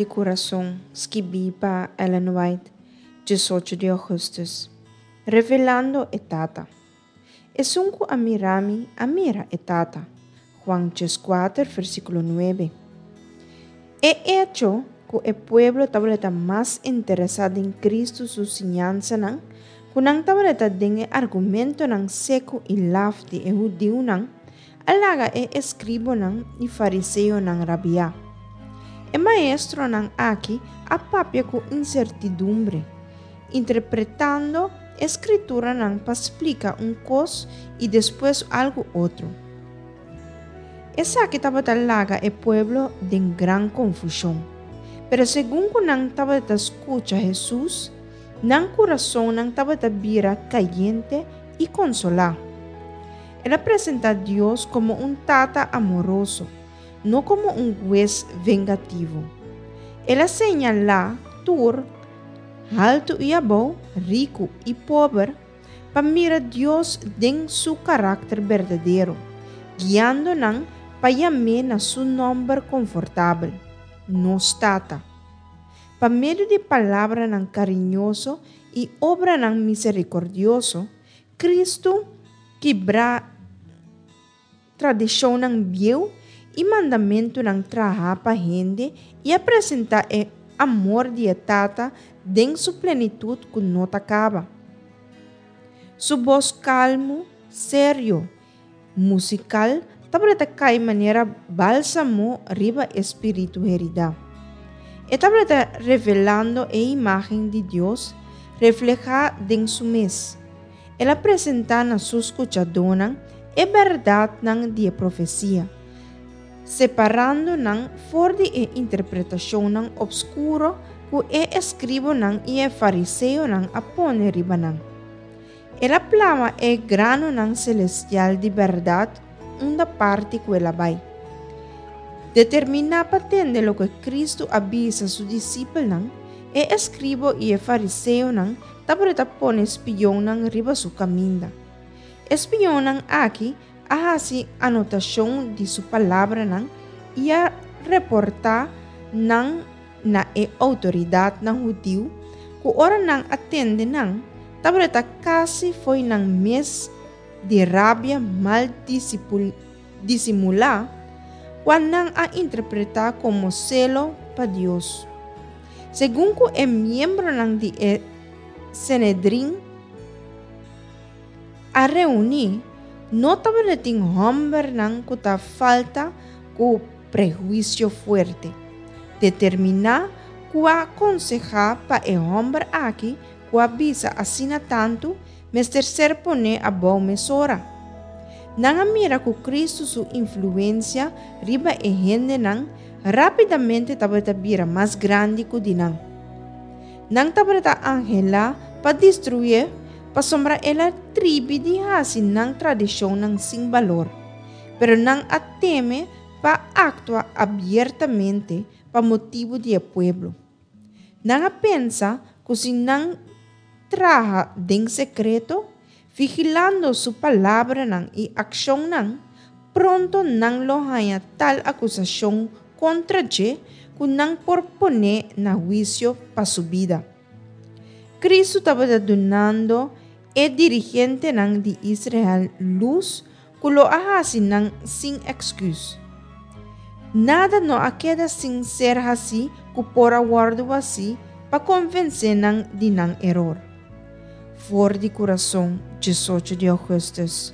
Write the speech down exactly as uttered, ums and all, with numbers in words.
di Kurason, skibí pa Ellen White, diesocho di ougùstùs. Revelando e Tata. Esun ku a mira mi, a mira e Tata. Juan dieskuater, versíkulo nuebe. E echo ku e pueblo tabata mas interesá den Kristu su siñansanan ku nan tabata den e argumentonan seku i laf di e hudiunan, a laga e eskribanan i fariseonan rabia. E maestronan aki a papia ku insertidumbre, interpretando e skrituranan pa splika un kos i despues algu otro. Esaki tabata laga e pueblo den gran konfushon. Pero segun ku nan tabata skucha Hesus, nan kurasonnan tabata bira kayente i konsolá. El a presentá Dios komo un tata amoroso, no komo un hues vengativo. El a señalá tur, haltu i abou, riku i pober, pa mira Dios den su karakter berdadero, guiando nan pa yam'é na su nòmber konfortabel, Nos Tata. Pa medio di palabranan kariñoso i obranan miserikòrdioso, Kristu a kibra tradishonnan bieu i mandamentunan trahá pa hende i a presentá e amor di e Tata den su plenitut ku no ta kaba. Su bos kalmu, serio, musikal, tabata kai manera bálsamo riba e spiritu heridá. E tabata revelando e imágen di Dios reflehá den su mes. El a presentá na su skuchadónan e bèrdatnan di e profesia, separando nan for di e interpretashonnan opskuro ku e eskribanan i e fariseonan a pone riba nan. El a plama e granonan selestial di bèrdat unda parti ku el a bai. Determiná pa tende loke Kristu a bisa su disipelnan, e eskriba i e fariseonan tabata pone spionnan riba su kaminda. E spionnan aki a hasi anotashon di su palabranan i a reportá nan na e outoridatnan hudiu, ku ora nan a tende nan, tabata kasi fo'i nan mes di rabia mal disimulá, kua nan a interpretá komo selo pa Dios. Segun ku e miembronan di e Sanedrin a reuní, no tabatin hòmbernan ku ta falta ku prehuisio fuerte, determiná ku a konsehá pa e hòmber aki ku a bisa asina tantu mester ser poné abou mesora. Nan a mira ku Kristu su influensia riba e hendenan rápidamente tabata bira mas grandi ku di nan. Nan tabata anhelá pa destruié pasobra el a tribi di hasi nan tradishonnan sin balor. Pero nan a teme pa aktua abiertamente pa motibu di e pueblo. Nan a pensa ku si nan traha den sekreto, vigilando su palabranan i akshonnan, pronto nan lo haña tal akusashon kontra dje ku nan por pon'é na huisio pa su bida. Kristu tabata dunando e dirigentenan di Israel lus ku lo a hasi nan sin èksküs. Nada no a keda sin ser hasí ku por a wòrdu hasí pa konvensé nan di nan eror. For di Kurason, diesocho di ougùstùs.